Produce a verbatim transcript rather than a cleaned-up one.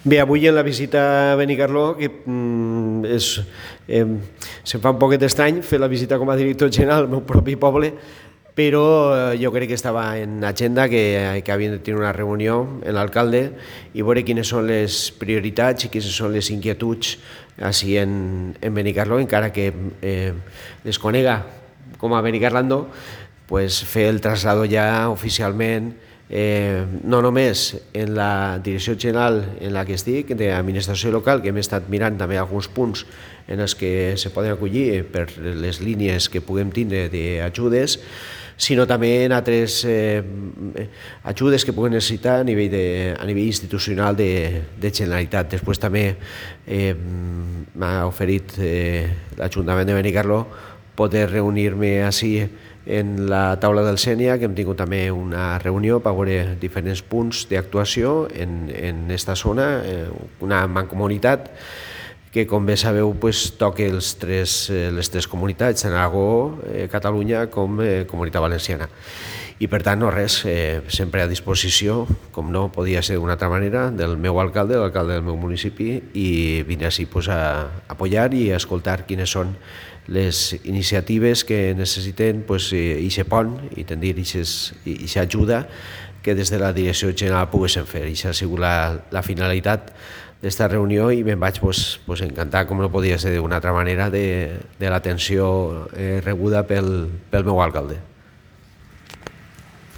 Bé, avui en la visita a Benicarló, que mm, és, eh, se'm fa un poquet estrany fer la visita com a director general al meu propi poble, però eh, jo crec que estava en agenda que, que havien de tenir una reunió amb l'alcalde i veure quines són les prioritats i quines són les inquietuds així en, en Benicarló, encara que eh, les conega com a Benicarlando, pues fer el traslado ja oficialment, eh, no només en la direcció general en la que estic, d'administració local, que hem estat mirant també alguns punts en els que se poden acollir per les línies que puguem tindre d'ajudes, sinó també en altres eh, ajudes que puguem necessitar a nivell, de, a nivell institucional de, de Generalitat. Després també eh, m'ha oferit eh, l'Ajuntament de Benicarló poder reunir-me així en la taula del Sénia, que hem tingut també una reunió per veure diferents punts d'actuació en, en esta zona, eh, una mancomunitat que, com bé sabeu, pues, toca els tres, eh, les tres comunitats, en Aragó, eh, Catalunya com eh, Comunitat Valenciana. I per tant, no res, eh, sempre a disposició, com no podia ser d'una altra manera, del meu alcalde, l'alcalde del meu municipi, i vindre així pues, a apoyar i a escoltar quines són les iniciatives que necessiten pues, ixe pont i tendir ixa ajuda que des de la direcció general poguessin fer. Ixa ha sigut la, la finalitat d'esta reunió i me'n vaig pues, pues, encantar, com no podia ser d'una altra manera, de, de l'atenció eh, rebuda pel, pel meu alcalde.